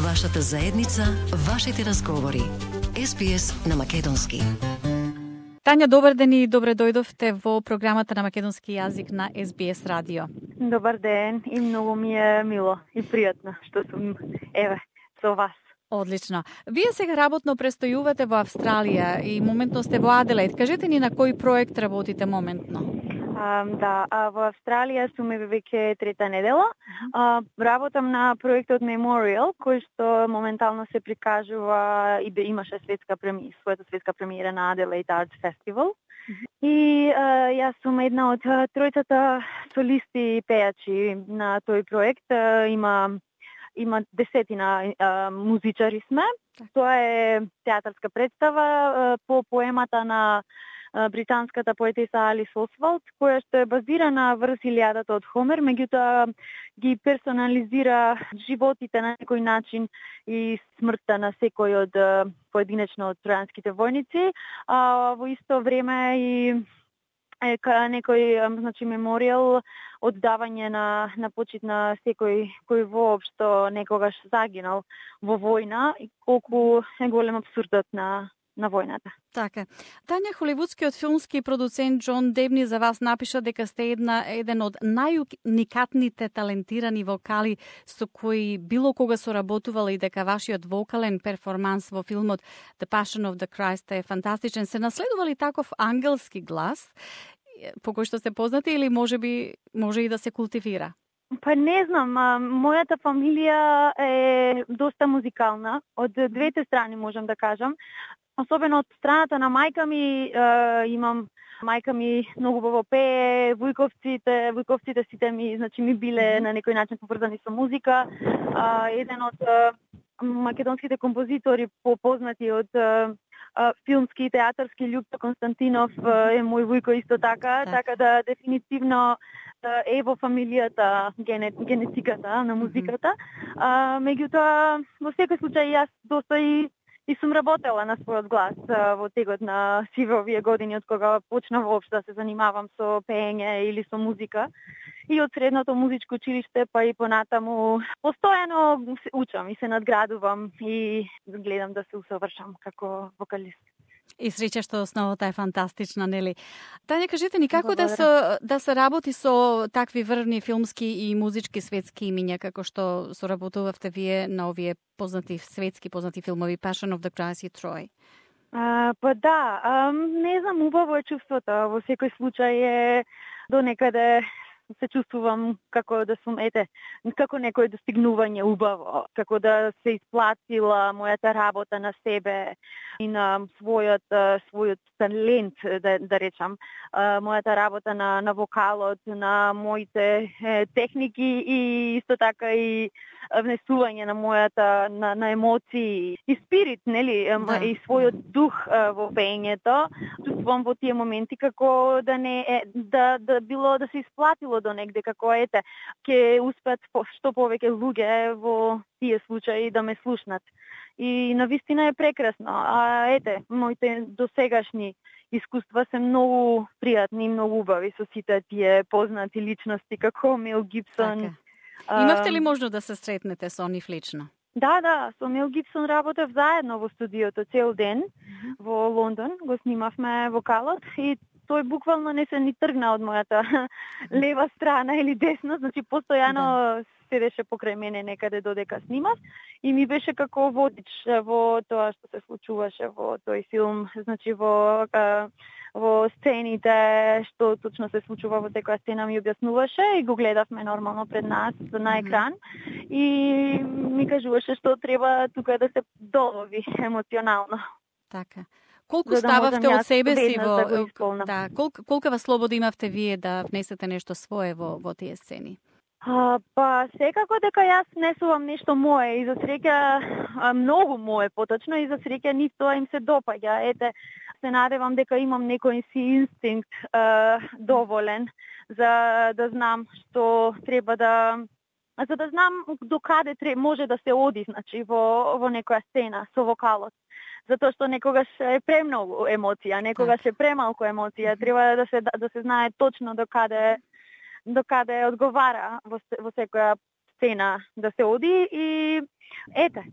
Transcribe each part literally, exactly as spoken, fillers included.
Вашата заедница, вашите разговори. Ес Би Ес на македонски. Тања, добар ден и добре дојдовте во програмата на македонски јазик на Ес Би Ес радио. Добар ден и многу ми е мило и пријатно што сум еве со вас. Одлично. Вие сега работно престојувате во Австралија и моментно сте во Аделаид. Кажете ни на кој проект работите моментно? А, да, а во Австралија сум веќе трета недела. А, работам на проектот Memorial, кој што моментално се прикажува и бе имаше светска премиера, својата светска премиера на Adelaide Arts Festival. И а, јас сум една од тројцата солисти и пејачи на тој проект. А, има има десетина а, музичари сме. Тоа е театарска представа а, по поемата на британската поетеса Алис Освалд, која што е базирана врз Илијадата од Хомер, меѓутоа ги персонализира животите на некој начин и смртта на секој од поединечно од тројанските војници, а во исто време и е некој, значи, меморијал, оддавање на на почит на секој кој воопшто некогаш загинал во војна и колку е голем абсурдот на на војната. Така. Тања, холивудскиот филмски продуцент Џон Дебни за вас напиша дека сте една еден од најуникатните талентирани вокали со кои било кога соработувала и дека вашиот вокален перформанс во филмот The Passion of the Christ е фантастичен. Се наследували таков ангелски глас по кој што сте познати или можеби може и да се култивира? Па не знам, а, мојата фамилија е доста музикална, од двете страни можам да кажам. Особено од страната на мајка ми, е, имам мајка ми многу убаво пее, вујковците, вујковците сите ми, значи ми биле на некој начин поврзани со музика. А, еден од а, македонските композитори попознати од а, а, филмски и театарски Љупчо Константинов е мој вујко исто така, так. така да дефинитивно е во фамилијата генетиката на музиката. А, меѓутоа, во секој случај јас доста и И сум работела на својот глас а, во тегот на сиве овие години, од кога почнав воопшто да се занимавам со пеење или со музика. И од средното музичко училиште, па и понатаму, постојано се учам и се надградувам и гледам да се усовршам како вокалист. И среќа што основата е фантастична, нели? Тања, кажете ни како да се да се работи со такви врвни филмски и музички светски имиња како што соработувавте вие на овие познати светски познати филмови Passion of the Christ и Troy? А, па да, а, не знам, убаво е чувството. Во секој случај е до некаде се чувствувам како да сум, ете, како некое достигнување убаво, како да се исплатила мојата работа на себе и на својот својот талент, да, да речам, мојата работа на на вокалот, на моите е, техники и исто така и внесување на мојата на, на емоции и спирит, нели, да. И својот дух во пеењето. Чувствувам во тие моменти како да не е да да било да се исплатило до негде, како ете ќе успеат што повеќе луѓе во тие случаи да ме слушнат. И навистина е прекрасно. А ете, моите досегашни искуства се многу пријатни и многу убави со сите тие познати личности како Мел Гибсон. Така. Имавте ли можност да се сретнете со нив лично? Да, да, со Мел Гибсон работев заедно во студиото цел ден mm-hmm. во Лондон, го снимавме вокалот и тој буквално не се ни тргна од мојата лева страна или десна, значи постојано да. Седеше покрај мене некаде додека снимав и ми беше како водич во тоа што се случуваше во тој филм, значи во во сцените, што точно се случува во секоја сцена ми објаснуваше и го гледавме нормално пред нас на екран и ми кажуваше што треба тука да се долови емоционално. Така. Колку да стававте од себе си во да, да колку колкава слобода имавте вие да внесете нешто свое во во тие сцени? А, па секако дека јас несувам нешто мое и за среќа многу мое поточно и за среќа нив тоа им се допаѓа. Ете, се надевам дека имам некој си инстинкт а, доволен за да знам што треба да за да знам до каде треба може да се оди, значи во во некоја сцена со вокалот. Затоа што некогаш е премногу емоција, некогаш е премалку емоција, треба да се да се знае точно до каде до каде одговара во, во секоја сцена да се оди и ете,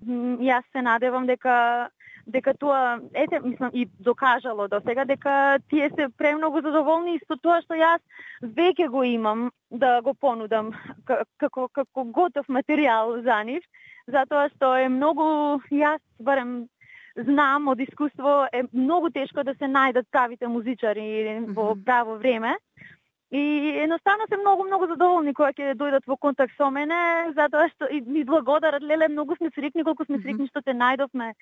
јас се надевам дека дека тоа, ете, мислам, и докажало до сега дека тие се премногу задоволни со тоа што јас веќе го имам да го понудам како како готов материјал за нив, затоа што е многу, јас барем знам од искуство, е многу тешко да се најдат правите музичари во право време. И едноставно се многу, многу задоволни кога ќе дојдат во контакт со мене, затоа што и ми благодарат, леле, многу сме среќни, колку сме среќни што те најдовме.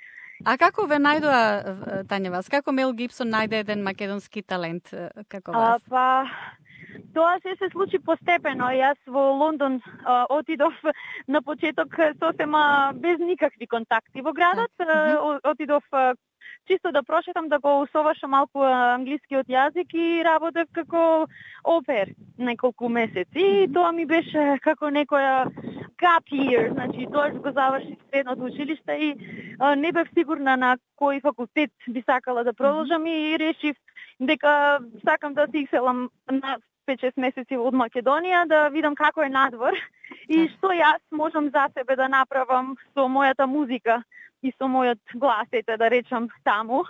А како ве најдоа, Тања, вас? Како Мел Гибсон најде еден македонски талент како вас? А, па, тоа се се случи постепено. Јас во Лондон а, отидов на почеток сосема без никакви контакти во градот. А, отидов а, чисто да прошетам, да го усоваршам малку англискиот јазик и работев како опер неколку месеци. И тоа ми беше како некоја gap year, значи тоа го заврши средното училиште и а, не бев сигурна на кој факултет би сакала да продолжам и решив дека сакам да се иселам на пет-шест месеци од Македонија, да видам како е надвор и што јас можам за себе да направам со мојата музика и со мојот глас, ете да речам таму,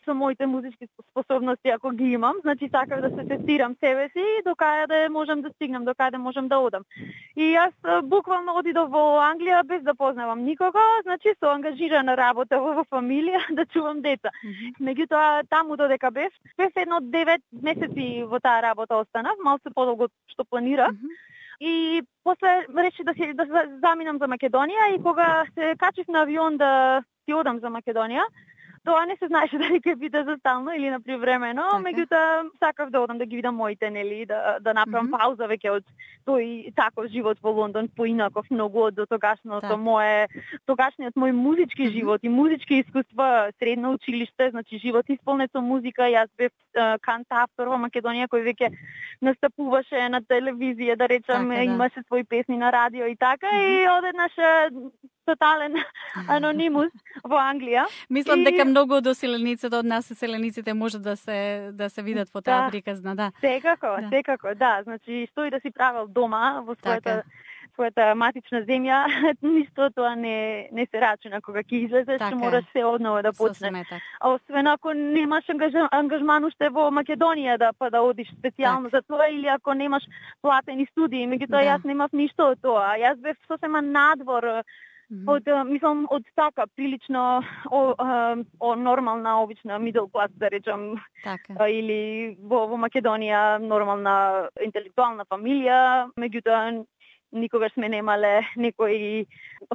со моите музички способности ако ги имам, значи сакав да се тестирам себе си и до каде можам да стигнам, до каде можам да одам. И јас буквално одидов во Англија без да познавам никого, значи со ангажирана работа во фамилија да чувам деца. Mm-hmm. Меѓутоа таму додека бев, бев едно девет месеци во таа работа останав, малку подолго што планирав. Mm-hmm. И после реши да се да заминам за Македонија и кога се качив на авион да си одам за Македонија, тоа не се знаеше дали ќе биде за стално или на привремено, okay. Меѓутоа сакав да одам да ги видам моите, нели, да да направам mm-hmm. пауза веќе од тој таков живот во Лондон, поинаков многу од дотогашното так. Мое тогашниот мој музички mm-hmm. живот и музички искуства, средно училиште, значи живот исполнет со музика. Јас бев кантавтор во Македонија кој веќе настапуваше на телевизија, да речам, така, да. Имаше своји песни на радио и така mm-hmm. и одеднаш тотален анонимус во Англија. Мислам и... дека многу од оселениците, од нас оселениците може да се да се видат во таа да. приказна, да. Секако, да. секако, да. Значи, што и да си правел дома во својата така. својата матична земја, ништо тоа не не се рачуна кога ќе излезеш, така. Мораш се однова да почнеш. А освен ако немаш ангажман уште во Македонија да па да одиш специјално за тоа или ако немаш платени студии, меѓутоа да. Јас немав ништо од тоа. Јас бев сосема надвор Mm-hmm. Од, мислам, од така, прилично о, о, о нормална, обична middle class, да речам, така. Или во, во Македонија нормална интелектуална фамилија, меѓутоа никогаш сме немале некои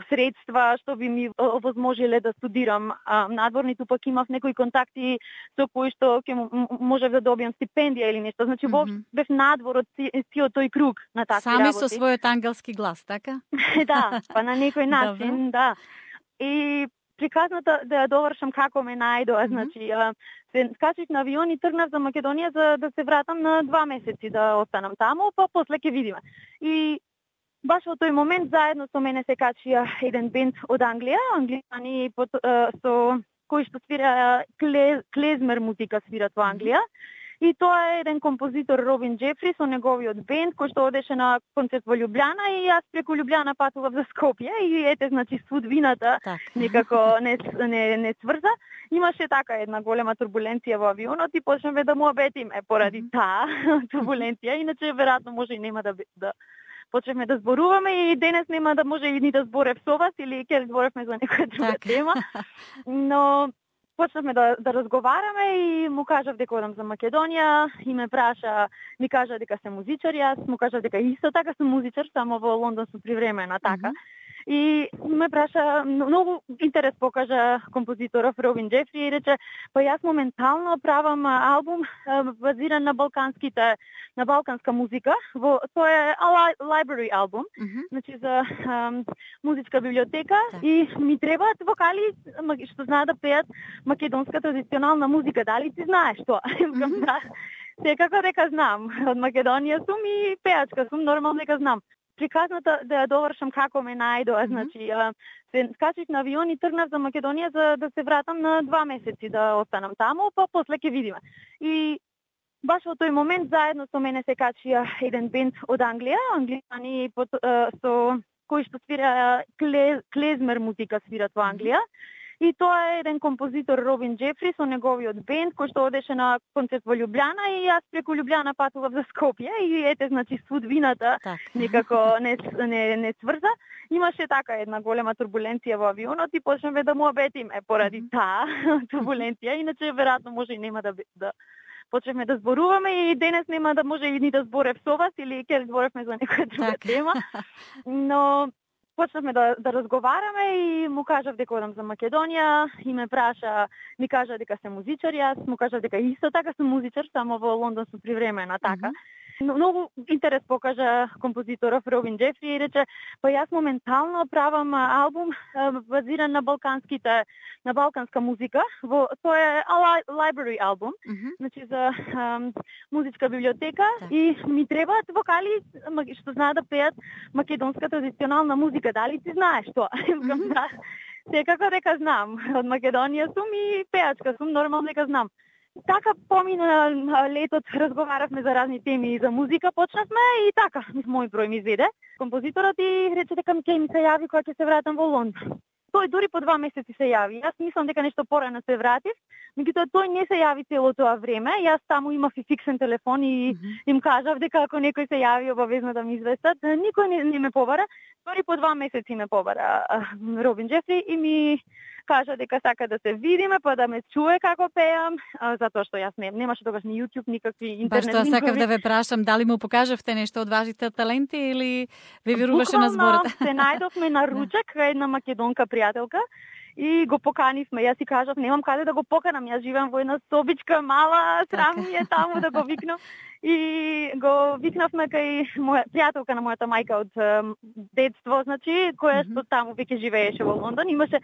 средства што би ми овозможиле да студирам а, надвор, ниту пак имав некои контакти со кои што ќе можев да добијам стипендија или нешто. Значи, mm-hmm. бев надвор од сиот тој круг на такви Сами работи. Сами со својот ангелски глас, така? Да, па на некој начин, да. И приказната да ја довршам како ме најдоа, mm-hmm. значи, а, се скачив на авион и тргнав за Македонија за да се вратам на два месеци да останам таму, па после ќе видиме. И баш во тој момент заедно со мене се качија еден бенд од Англија, англијани со кои што свира клез, клезмер музика свират во Англија. И тоа е еден композитор Робин Джефри со неговиот бенд кој што одеше на концерт во Љубљана и јас преку Љубљана патував за Скопје и ете, значи, судбината некако не, не, не сврза. Имаше така една голема турбуленција во авионот и почнавме да му обетиме поради таа турбуленција, иначе веројатно може и нема да да почнавме да зборуваме и денес нема да може и ни да зборев со вас или ќе зборевме за некоја друга тема. Но почнавме да, да разговараме и му кажав дека одам за Македонија и ме праша, ми кажа дека се музичар, јас му кажав дека исто така сум музичар, само во Лондон сум привремена така. Mm-hmm. И ме праша, многу интерес покажа композиторов Робин Джефри и рече, па јас моментално правам албум базиран на балканските, на балканска музика, во тоа е library албум, mm-hmm. значи за um, музичка библиотека так. И ми требаат вокали што знаат да пеат македонска традиционална музика. Дали ти знаеш тоа? Mm-hmm. Да. Секако дека знам. Од Македонија сум и пеачка сум, нормално дека знам. Приказната да ја довршам како ме најдоа, mm-hmm. значи, а, се скачив на авион и тргнав за Македонија за да се вратам на два месеци да останам таму, па после ќе видиме. И баш во тој момент заедно со мене се качија еден бенд од Англија, англијани со кој што свира клез, клезмер музика свират во Англија. И тоа е еден композитор Робин Джефри со неговиот бенд кој што одеше на концерт во Љубљана и јас преку Љубљана патував за Скопје и ете значи судбината так. некако не не не сврза. Имаше така една голема турбуленција во авионот и почнавме да му обетиме поради таа турбуленција, иначе веројатно може и нема да да почнавме да зборуваме и денес нема да може и ни да зборев со вас или ќе зборевме за некоја друга тема. Но почнавме да, да разговараме и му кажав дека одам за Македонија и ме праша, ми кажа дека се музичар, јас му кажав дека исто така сум музичар, само во Лондон сум привремена така. Mm-hmm. Многу интерес покажа композиторов Робин Джефри и рече, па јас моментално правам албум базиран на балканските, на балканска музика. Во тоа е library албум, mm-hmm. значи за um, музичка библиотека так. И ми требаат вокали што знаат да пеат македонска традиционална музика. Дали ти знаеш тоа? Mm-hmm. Да. Секако дека знам. Од Македонија сум и пеачка сум, нормално дека знам. Така помина летот, разговаравме за разни теми и за музика, почнавме и така, мој број ми изведе. Композиторот и рече дека ќе ми се јави кога ќе се вратам во Лондон. Тој дури по два месеци се јави. Јас мислам дека нешто порано се вратив, меѓутоа тој не се јави цело тоа време. Јас таму имав и фиксен телефон и mm-hmm. им кажав дека ако некој се јави обавезно да ми известат. Никој не, не ме побара. Дури по два месеци ме побара Робин Джефри и ми кажа дека сака да се видиме, па да ме чуе како пеам, затоа што јас не, немаше тогаш ни YouTube, никакви интернет линкови. Баш тоа сакав да ве прашам, дали му покажавте нешто од вашите таленти или ви веруваше на зборот? Се најдовме на ручек, една македонка пријателка, и го поканивме. Јас си кажав, немам каде да го поканам, јас живеам во една собичка мала, срам ми е таму да го викнам. И го викнавме кај моја пријателка на мојата мајка од um, детство, значи, која што таму веќе живееше во Лондон, имаше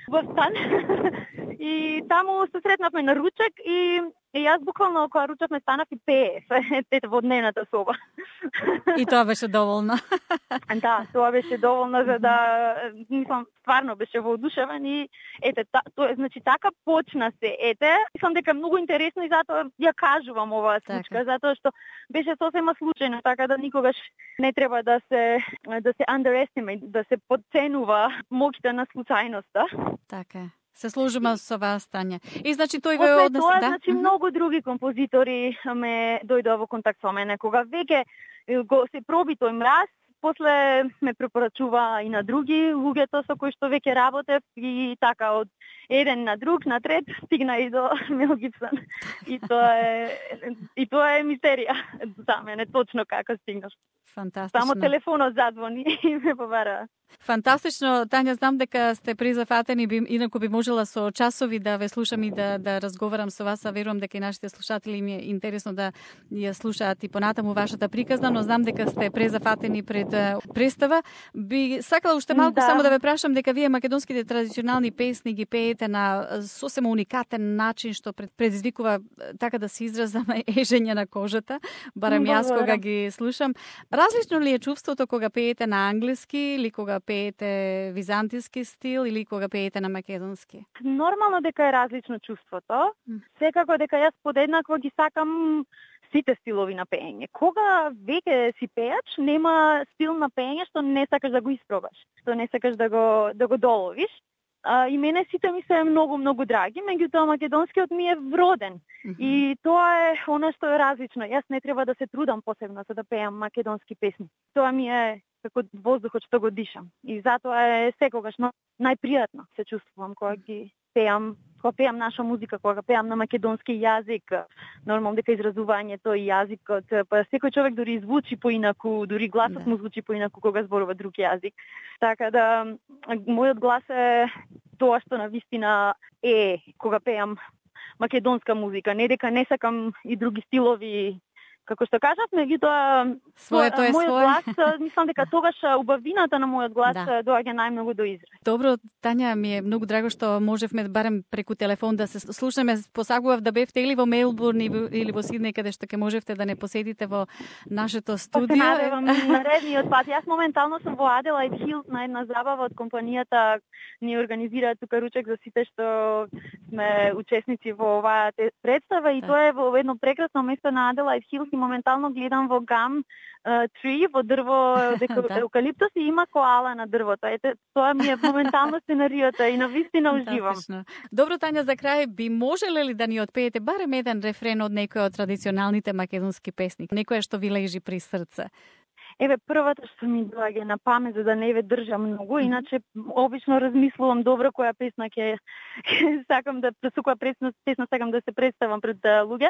во стан. И таму се сретнавме на ручек и, и јас буквално кога ручавме станав и пее ете во дневната соба. И тоа беше доволно. Да, тоа беше доволно за да, мислам, стварно беше воодушевен и ете, та, тоа, значи така почна се, ете, мислам дека многу интересно и затоа ја кажувам оваа случка, затоа што беше сосема случајно, така да никогаш не треба да се да се underestimate, да се подценува моќта на случајноста. Така. Се служиме со вас, Тања. И значи тој ве однесе, однесе, тоа, да? Значи многу други композитори ме дојдоа во контакт со мене кога веќе го се проби тој мраз. После ме препорачува и на други луѓето со кои што веќе работев и така од еден на друг, на трет, стигна и до Мел Гибсон. И тоа е и тоа е мистерија за мене точно како стигнав. Фантастично. Само телефонот задзвони и ме побара. Фантастично, Тања, знам дека сте презафатени, би, инаку би можела со часови да ве слушам и да да разговарам со вас, а верувам дека и нашите слушатели им е интересно да ја слушаат и понатаму вашата приказна, но знам дека сте презафатени пред представа. Би сакала уште малку да. само да ве прашам дека вие македонските традиционални песни ги пеете на сосема уникатен начин што предизвикува, така да се изразам, ежење на кожата, барем јас кога ги слушам. Различно ли е чувството кога пеете на англиски или кога пеете византиски стил или кога пеете на македонски? Нормално дека е различно чувството. Секако дека јас подеднакво ги сакам сите стилови на пеење. Кога веќе си пеач, нема стил на пеење што не сакаш да го испробаш, што не сакаш да го да го доловиш. А, и мене сите ми се многу, многу драги, меѓутоа македонскиот ми е вроден. Mm-hmm. И тоа е она што е различно. Јас не треба да се трудам посебно за да пеам македонски песни. Тоа ми е како воздухот што го дишам. И затоа е секогаш најпријатно се чувствувам кога ги пеам, кога пеам наша музика, кога пеам на македонски јазик. Нормално дека изразувањето и јазикот, па секој човек дури звучи поинаку, дури гласот му звучи поинаку кога зборува друг јазик. Така да мојот глас е тоа што навистина е кога пеам македонска музика, не дека не сакам и други стилови. Како што кажав, меѓутоа своето е мојот свое. глас, мислам дека тогаш убавината на мојот глас да. доаѓа најмногу до израз. Добро, Тања, ми е многу драго што можевме барем преку телефон да се слушаме. Посакував да бевте или во Мелбурн или во Сиднеј, каде што ќе можевте да не посетите во нашето студио. Се надевам наредниот пат. Јас моментално сум во Аделаид Хилс на една забава од компанијата, ни организираат тука ручек за сите што сме учесници во оваа представа и тоа е во едно прекрасно место на Аделаид Хилс. моментално гледам во гам три, во дрво дека евкалиптус и има коала на дрвото. Ете, тоа ми е моментално сценариото и навистина уживам. Добро, Тања, за крај би можеле ли да ни отпеете барем еден рефрен од некој од традиционалните македонски песни, некоја што ви лежи при срце? Еве, првата што ми доаѓа на памет, за да не ве држам многу, иначе обично размислувам добро која песна ќе сакам да со која песна, песна сакам да се представам пред луѓе.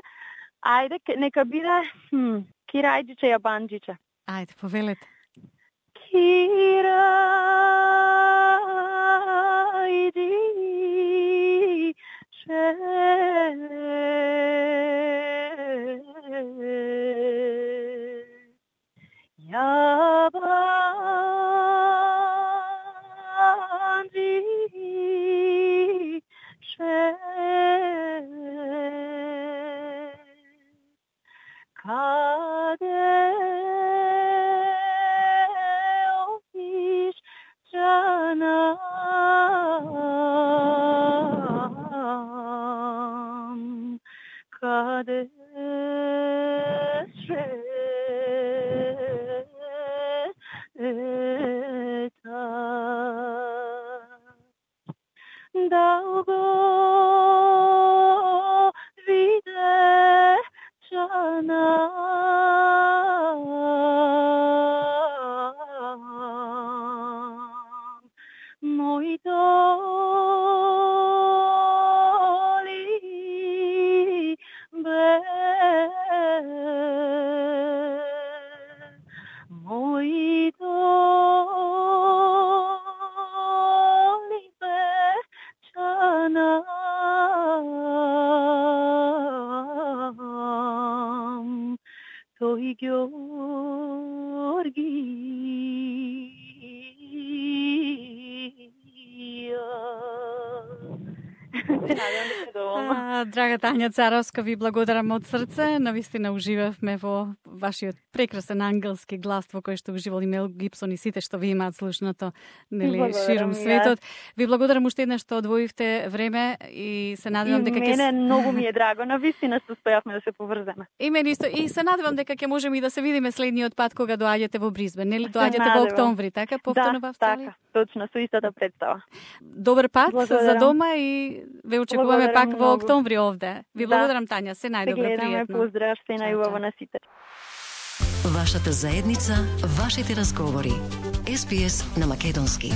Ајде, нека биде хм, Кирајџиче Јабанџиче. Ајде, повелете. Драга Тања Царовска, ви благодарам од срце. Навистина уживавме во вашиот прекрасен ангелски глас во кој што уживал и Мел Гибсон и сите што ви имаат слушнато, нели, ширум светот. Ви благодарам уште еднаш што одвоивте време и се надевам дека ќе... И мене многу ми е драго, навистина што успеавме да се поврземе. И мене исто. И се надевам дека ќе можеме и да се видиме следниот пат кога доаѓате во Бризбен, нели? Доаѓате во октомври, така? Повторно во Австралија? Да, така, точно, со истата представа. Добар пат благодарам. За дома и ве очекуваме благодарам пак во октомври овде. Ви благодарам, да. Тања, се најдобро, пријатно. Поздрав, се најубаво на сите. Вашата заедница, вашите разговори. Ес Би Ес на македонски.